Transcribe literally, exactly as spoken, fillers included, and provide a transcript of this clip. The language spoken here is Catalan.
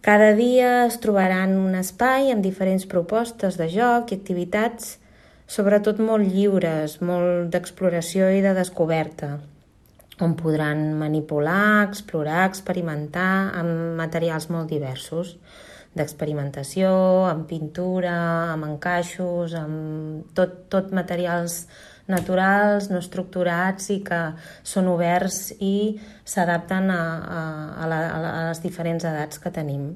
Cada dia es trobaran un espai amb diferents propostes de joc i activitats, sobretot molt lliures, molt d'exploració i de descoberta, on podran manipular, explorar, experimentar amb materials molt diversos, d'experimentació, amb pintura, amb encaixos, amb tot, tot materials naturals, no estructurats i que són oberts i s'adapten a, a, a, la, a les diferents edats que tenim.